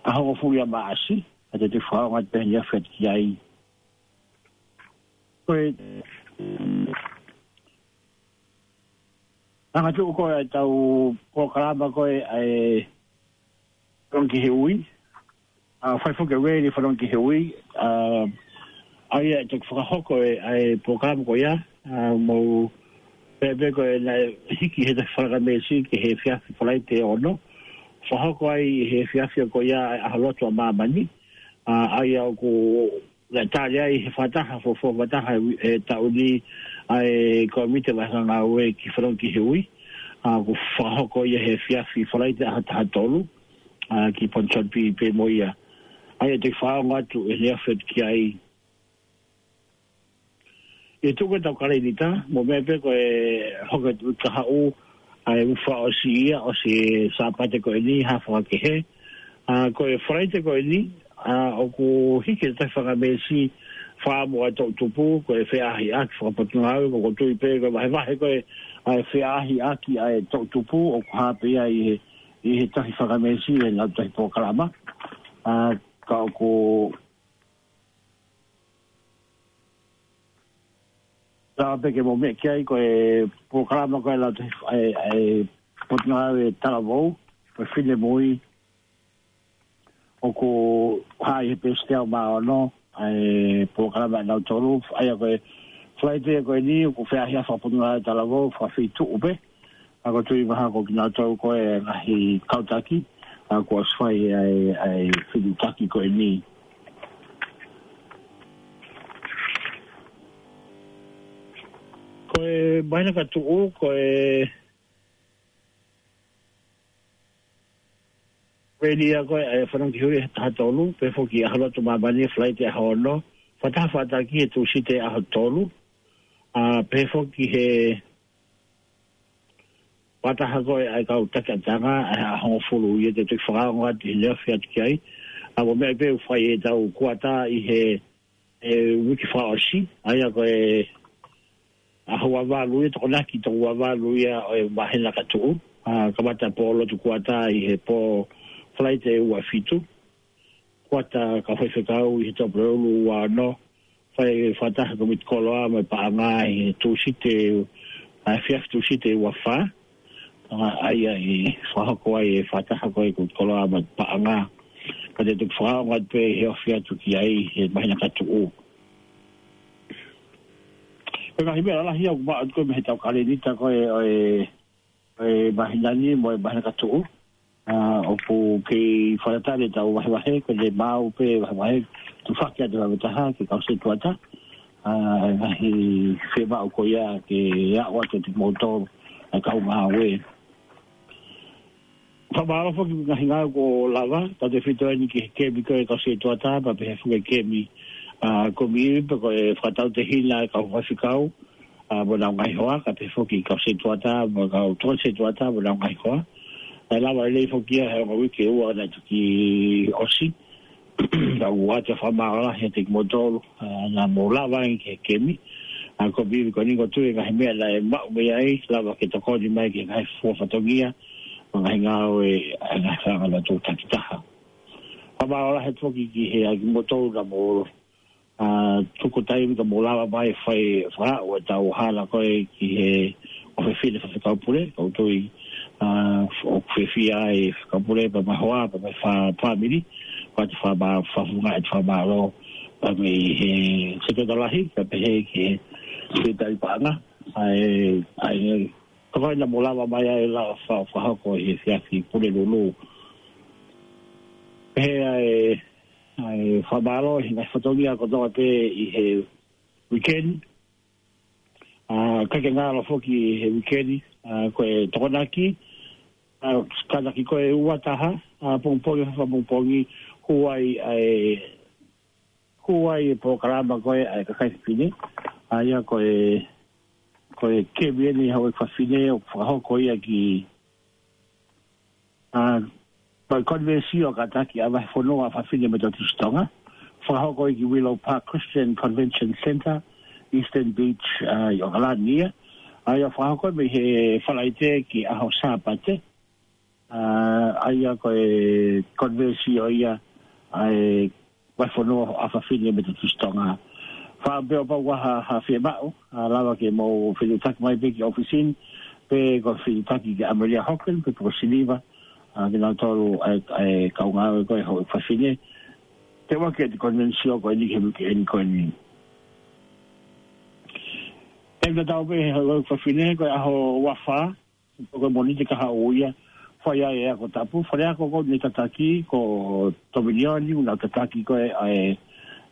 ʻaho hongofulu ia ʻo Maʻasi, ʻa ia te u toki fakaongo atu pē ʻe neongo atu ki ai. Ko e, angatuʻu ko ē ʻa e tau polokalama ko ē ʻa e Fanongo ki he Ui. ʻA, fai foki e reli Fanongo ki he Ui. ʻA, ʻa ia ʻe toki fakahoko e, ʻa e polokalama ko ia. ʻA, mou pehē pē ko ē naʻe hiki he taʻu fakameesi ki he efiafi Falaite ʻe ono. Fakahoko ai he efiafi ko ia ʻa e ʻAho Lotu ʻa Māmani. ʻA, ʻa ia ʻoku naʻe tali ai he fakataha, fuofua fakataha ʻi he taʻu ni ʻa e Kōmiti Vahefonua Ngāue ki Fanongo ki he Ui. ʻa, ʻoku fakahoko ia he efiafi Falaite ʻaho taha tolu, ʻa, ki Ponsonby pē mo ia. ʻA ia te u fakaongo atu ʻi he efiafi ki ai. ʻI he tuku ʻetau kalēnita, mou meʻa pē ko e hoko atu kahaʻu, ʻa e uike fakaʻosi ia, ʻosi e Sāpate ko eni, hā fakakehe. ʻA, ko e Falaite ko eni, ʻa, ʻoku hiki e Tahi Fanga Meesi, fakaʻamu ʻa e toʻutupu, ko e feaʻahiʻaki fakapotungāue, ko ʻoku ou tui pē, ko e vahevahe ko ē, ʻa e feaʻahiʻaki ʻa e toʻutupu, ʻoku hā pē ia ʻi he, ʻi he Tahi Fanga Meesi, ʻi he lau tohi polokalama. ʻA, ka ʻoku Lava pē ke mou meʻa ki ai ko e polokalama ko e lau tohi, ʻa e, ʻa e potungāue talavou, ko e Finemui, ʻoku hā ʻi he peesi teau mā ono, ʻa e polokalama ʻe nau tolu, ʻa ia ko e Falaite ko eni, ʻoku feaʻahiʻaki fakapotungāue talavou, fakafeituʻu pē, ʻa ko e tui mahalo ko kinautolu ko e ngaahi kau taki, ʻa kuo ʻosi fai ʻa e, ʻa e fetuʻutaki ko eni. Ko e māhina ka tuʻu, ko e veli ia ko e, ʻa e fanongo ki huri he taha tolu, pehē foki ʻaho lotu māmani Falaite ʻaho ono, fakataha fataki he Tūsite ʻaho tolu, ʻa, pehē foki he fakataha ko e ʻa e kau taki ʻapiako, ʻa e ʻaho hongofulu ia te u toki fakaongo atu ʻi he efiafi ki ai. ʻA, mou meʻa pē ʻoku fai ʻetau kuata ʻi he, e, uike fakaʻosi, ʻa ia ko e ʻaho ua valu ia, Tokonaki toko ua valu ia ʻo e māhina ka tuʻu. ʻA, kamata pō lotu kuata ʻi he pō Falaite ua fitu. Kuata kau faifekau ʻi he Tuʻapulelulu ua ono, fai fakataha ko e komiti koloa mo e paʻanga ʻi he Tūsite, ʻa, efiafi Tūsite ua fā. ʻA, ʻa ia ʻe fakahoko ai e fakataha ko e komiti koloa mo e paʻanga. Ka te u toki fakaongo atu pē he efiafi ki ai he māhina ka tuʻu. Ko e ngaahi meʻa lalahi ʻoku maʻu atu ko e mei heʻetau kalēnita ko e, ʻo e, ʻo e māhina ni mo e māhina ka tuʻu. ʻA, ʻoku kei fakatatali ʻetau vahevahe, ko e maʻu pē vahevahe, tufaki atu ha taha ki he kau setuata. ʻA, ngaahi fiemaʻu ko ia ke aʻu atu kiate kimoutolu, ʻa e kau ngāue. Fakamālō foki ngaahi ngāue kuo lava, tautefito eni ki he kemi ko e kau setuata, pea pehē foki kemi, ʻa, komiʻi pē ko e fakatautehina e kau faifekau, ʻa, mo ʻenau ngaahi hoa, kae pehē foki kau setuata, mo e kau tokoni setuata, mo ʻenau ngaahi hoa. ʻE lava lelei foki ia he ongo uike ʻe ua naʻe toki ʻosi. Ka ʻoku ou ʻoatu e fakamālō lahi kiate kimoutolu, ʻa, naʻa mou lava ange ki he kemi. ʻA, ko e pīkitai ko eni ko e tui ngaahi meʻa naʻe maʻu mei ai, lava ke tokoni mai ki he ngaahi fua fatongia, mo e ngaahi ngāue, ʻa, ngaahi fanga lotu takitaha. Fakamālō lahi foki ki he ʻa kimoutolu naʻa mou ʻa, tuku taimi ka mou lava mai fai fakaʻu ʻetau hala ko e ki he ʻofefine faifekau pule, ka ʻoku ou tui, ʻa, ʻoku fiefia e faifekau pule pea mo e hoa, pea mo e fa-, fāmili, ʻoatu e fakama-, fakafofonga e fakamālō, pea mei he setuata lahi, kae pehē ki he setuata paʻanga, ʻa e, ʻa e, ka ko e naʻa mou lava mai ai lava fa-, fakahoko he efiafi Pulelulu. Pehē ʻa e, ʻa e fakamālō he ngaahi fatongia kotoa pē ʻi he uike ni. ʻA, kae ke ngalo foki he uike ni, ʻa, ko e Tokonaki, ʻa, kātaki ko e ua taha, ʻa, pongipongi, fakapongipongi, hū ai, ʻa e, hū ai e polokalama ko e, ʻa e kakai fefine. ʻA ia ko e, ko e kemi eni hau e fafine, ʻoku fakahoko ia ki ʻA, ko e konivēsio kātaki ʻa e Vahefonua ʻa Fafine Metotisi Tonga. Fakahoko ia ki Willow Park Christian Convention Centre, Eastern Beach, ʻa, ʻi ʻOkalani ia. ʻA ia fakahoko mei he Falaite ki he ʻaho Sāpate. ʻA, ʻa ia ko e konivēsio ia, ʻa e Vahefonua ʻa Fafine Metotisi Tonga. Fakaʻamu pē ʻo kapau ʻoku ʻi ai ha, ha fiemaʻu, ʻa, lava ke mou fetuʻutaki mai pē ki he ʻōfisi ni, pe ko e fetuʻutaki kia Amelia Hoggan, pe ko Siliva, ʻa, kinautolu ʻa e, ʻa e kau ngāue ko e houʻeiki fafine. Teuteu ki he konivēsio ko eni ki he uike eni ko eni. ʻE tatau pē he houʻeiki fafine, ko e ʻaho ua fā, ko e Mōnite kahaʻu ia, fai ai e ako tapu, faleako ko eni tataki, ko Tominioni, ʻoku nau tataki ko e, ʻa e,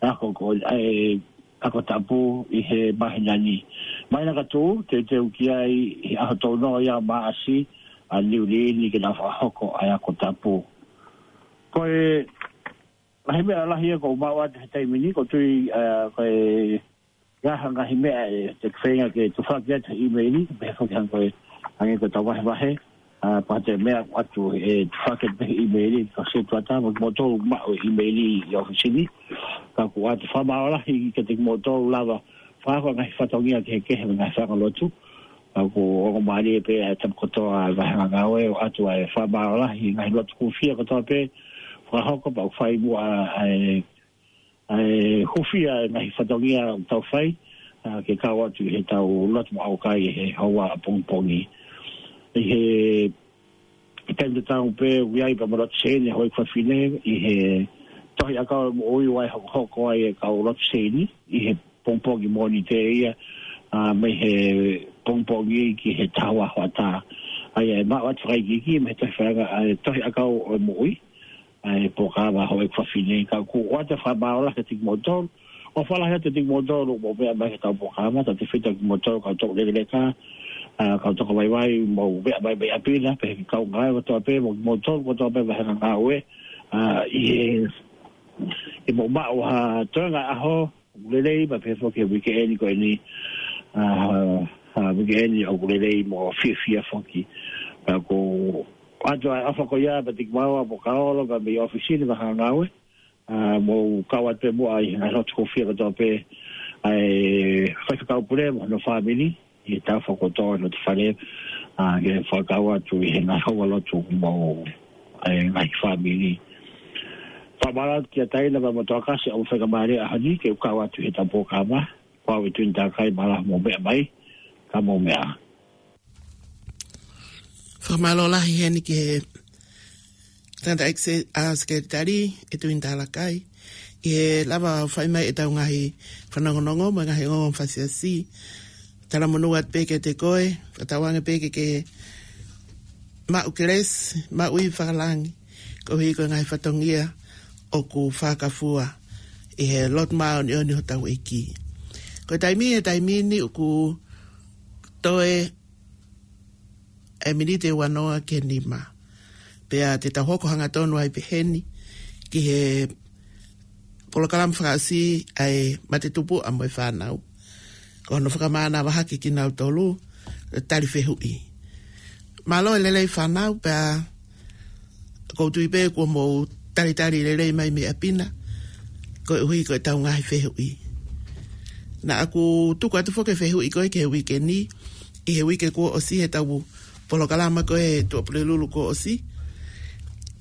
ako ko, ʻa e, ako tapu ʻi he māhina ni. Mai na ka tū, te teu ki ai ʻi he ʻaho tolu noa ia Maʻasi, ʻa Niu Sila ni ke na fakahoko ʻa e ako tapu. Ko e ngaahi meʻa lahi ia ʻoku ou maʻu atu he taimi ni, ʻoku ou tui, ʻa, ko e ngaahi, ngaahi meʻa ʻe te feinga ke tufaki atu he ʻīmeili, pehē foki hangē ko e, hangē ko ʻetau vahevahe, ʻa, ko ha toe meʻa ʻoatu ʻe tufaki atu pē he ʻīmeili, ko e setuata, mo kimoutolu maʻu e ʻīmeili ʻi ʻōfisi ni, ka ʻoku ou ʻoatu e fakamālō lahi kiate kimoutolu lava, fakahoko e ngaahi fatongia kehekehe mo e ngaahi fanga lotu, ka ʻoku ongo mālie pē ʻa e tapu kotoa ʻa e vahenga ngāue, ʻoatu ʻa e fakamālō lahi, ngaahi lotu hūfia kotoa pē, fakahoko pea ʻoku fai muʻa ʻa e, ʻa e hūfia e ngaahi fatongia ʻoku tau fai, ʻa, ke kau atu ʻi heʻetau lotu mo ʻaukai he houa ʻapongipongi. ʻI he taimi tatau pē ʻoku ʻi ai pē mo e lotu seini ʻa e houʻeiki fafine, ʻi he Tohi ʻAkau ʻo e Moʻui ʻoku hokohoko ai e kau lotu seini, ʻi he pongipongi Mōnite ia, ʻa, mei he pongipongi ki he taha ua hoʻatā. ʻA ia ʻe maʻu atu fakaikiiki mei he Tohi Faiʻanga, ʻa e Tohi ʻAkau ʻo e Moʻui, ʻa e polokalama houʻeiki fafine, ka ʻoku ʻoatu e fakamālō lahi kiate kimoutolu, ʻofa lahi atu kiate kimoutolu ʻoku mou meʻa mai ki heʻetau polokalama, tautefito kimoutolu kau toko lekeleka, ʻa, kau toko vaivai, mou meʻa mai mei ʻapi na, pehē ki he kau ngāue kotoa pē, mo kimoutolu kotoa pē vahenga ngāue, ʻa, ʻi he, ʻi hoʻomou maʻu ha toenga ʻaho, ʻoku lelei, pea pehē foki he uike eni ko eni, ʻa, ʻa, uike eni ʻoku lelei mo fiefia foki. Pea ʻoku ʻoatu ʻa e ʻofa ko ia, pea tiki maua mo kaolo, pea mei ʻōfisi ni vahenga ngāue, ʻa, mou kau atu pē muʻa ʻi he ngaahi lotu hūfia kotoa pē, ʻa e faifekau pule mo hono fāmili, ʻi he taʻu foki kotoa ʻi loto fale, ʻa, ke fakakau atu ʻi he ngaahi houa lotu mo e ngaahi fāmili. Fakamālō atu kia Taina pea mo Toakasi ʻoku fakamālō ʻaho ni ke u kau atu ʻi heʻetau polokalama, ko au ʻi Tuini Talakai, mālō hoʻomou meʻa mai, ka mou meʻa. Fakamālō lahi heni ki he Tangataʻeiki Se-, ʻa, Sekelitali ʻi Tuini Talakai, ʻi he lava ʻo fai mai ʻetau ngaahi fanongonongo mo e ngaahi ongoongo fasiasi. Talamonū atu pē kiate koe, fakatauange pē ke ke maʻu kelesi, maʻu ivi fakalangi, koeʻuhi ko e ngaahi fatongia ʻoku fakafua ʻi he lotu māʻoniʻoni hotau ʻEiki. Ko e taimi, he taimi ni ʻoku toe e miniti ʻe uanoa ki he nima. Pea te tau hoko hangatonu ai pē heni ki he polokalama fakaʻosi ʻa e Mate Tupuʻa mo e Fānau. Ko hono fakamānava hake kinautolu, tali fehuʻi. Mālō e lelei fānau, pea ʻoku ou tui pē kuo mou talitali lelei mai mei ʻapi na, koeʻuhi ko ʻetau ngaahi fehuʻi. Naʻa ku tuku atu foki e fehuʻi ko ē ki he uike ni, ʻi he uike kuo ʻosi heʻetau polokalama ko ē he Tuʻapulelulu kuo ʻosi.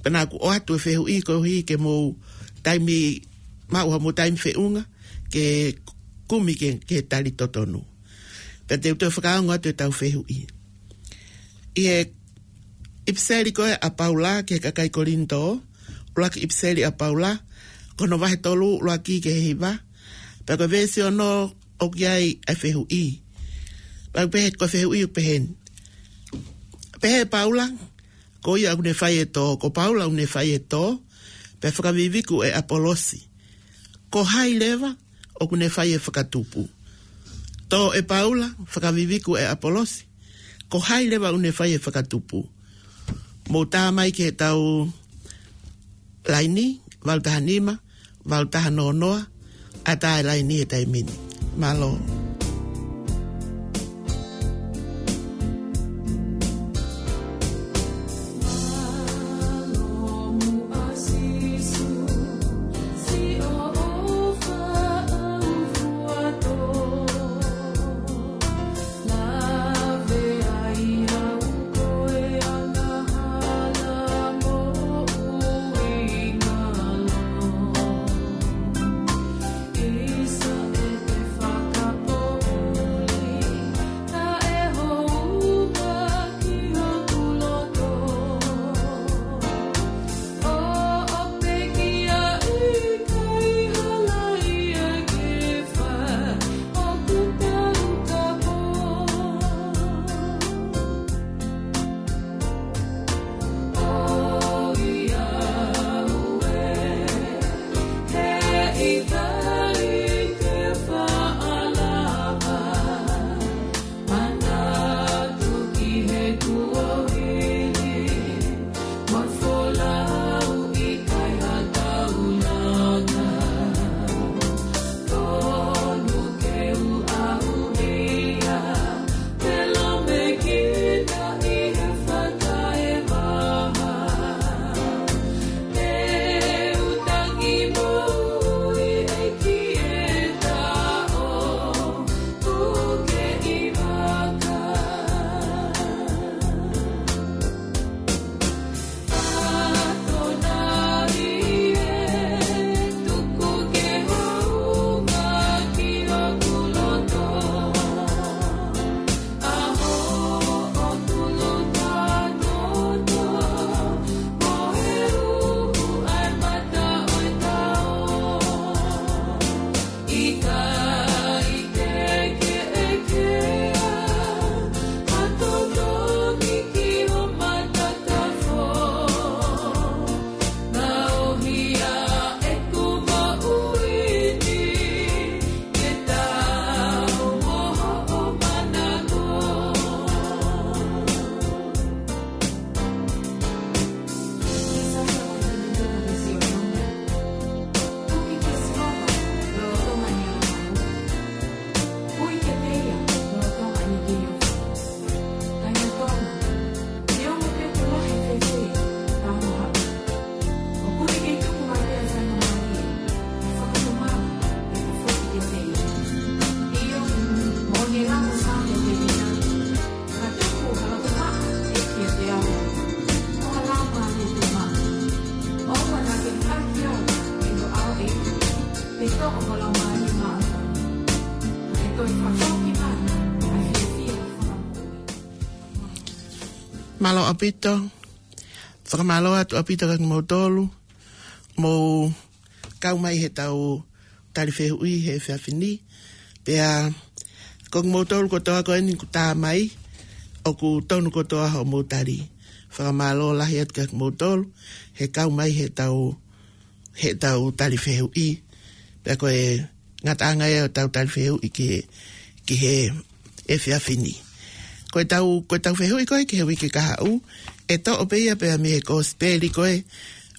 Pea naʻa ku ʻoatu e fehuʻi koeʻuhi ke mou taimi, maʻu haʻamou taimi feʻunga, ke kumi ke, ke tali totonu. Pea te u toe fakaongo atu ʻetau fehuʻi. ʻI he ʻipiseli ko ē ʻa Paula ki he kakai Kolinitō, ʻuluaki ʻipiseli ʻa Paula, ko hono vahe tolu ʻuluaki ki he hiva, pea ko e veesi ono ʻoku ʻi ai ʻa e fehuʻi. Pea pehē ko e fehuʻi ʻoku pehē ni. Pehē ʻe Paula, ko ia ʻoku ne fai e tō, ko Paula ʻoku ne fai e tō, pea fakaviviku ʻe ʻApolosi. Ko hai leva ʻoku ne fai e fakatupu? Tō ʻe Paula, fakaviviku ʻe ʻApolosi. Ko hai leva ʻoku ne fai e fakatupu? Mou tā mai ki heʻetau laini, valu taha nima, valu taha noa noa, ʻatā e laini he taimi ni. Mālō. Mālō ʻaupito. Fakamālō atu ʻaupito kia kimoutolu mou kau mai heʻetau tali fehuʻi he efiafi ni. Pea ko kimoutolu kotoa ko eni kuo tā mai, ʻoku tonu kotoa hoʻomou tali. Fakamālō lahi atu kia kimoutolu he kau mai heʻetau, heʻetau tali fehuʻi. Pea ko e ngataʻanga ia ʻo ʻetau tali fehuʻi ki he, ki he efiafi ni. Ko ʻetau, ko ʻetau fehuʻi ko ē ki he uike kahaʻu, ʻe toʻo pē ia pea mei he kosipeli ko ē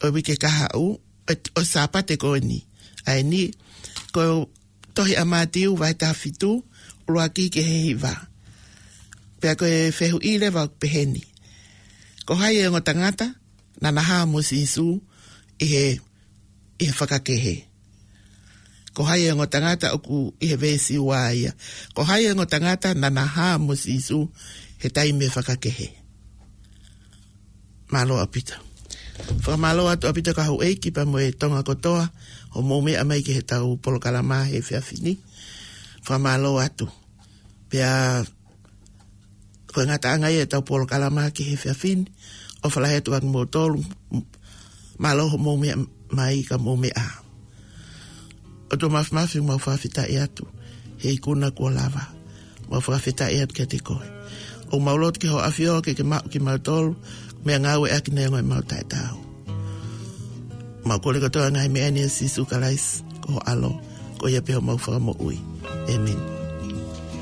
ʻo e uike kahaʻu, ʻo, ʻo e Sāpate ko eni. ʻA eni, ko e tohi ʻa Mātiu vahe taha fitu, ʻuluaki ki he hiva. Pea ko e fehuʻi leva ʻoku peheni: Ko hai e ongo tangata naʻa na hā mo Sīsū ʻi he, ʻi he fakakehe? Ko hai e ongo tangata, ʻoku ʻi he veesi ua ia. Ko hai e ongo tangata naʻa na hā mo Sīsū he taimi fakakehe? Mālō ʻaupito. Fakamālō atu ʻaupito ki he houʻeiki pea mo e Tonga kotoa hoʻomou meʻa mai ki heʻetau polokalama he efiafi ni. Fakamālō atu. Pea ko e ngataʻanga ia ʻetau polokalama ki he efiafi ni. ʻOfa lahi atu kia kimoutolu. Mālō hoʻomou meʻa mai ka mou meʻa. ʻOtua Māfimafi, mau fakafetaʻi atu he ikuna kuo lava. Mau fakafetaʻi atu kiate koe. ʻOku mau lotu ki hoʻo ʻAfio ke ke maʻu kimautolu, meʻangāueʻaki neongo ʻemau taʻetaau. Mau kole kotoa e ngaahi meʻa ni ʻia Sīsū Kalaisi ko ho ʻAlo, ko ia pē homau Fakamoʻui. ʻĒmeni.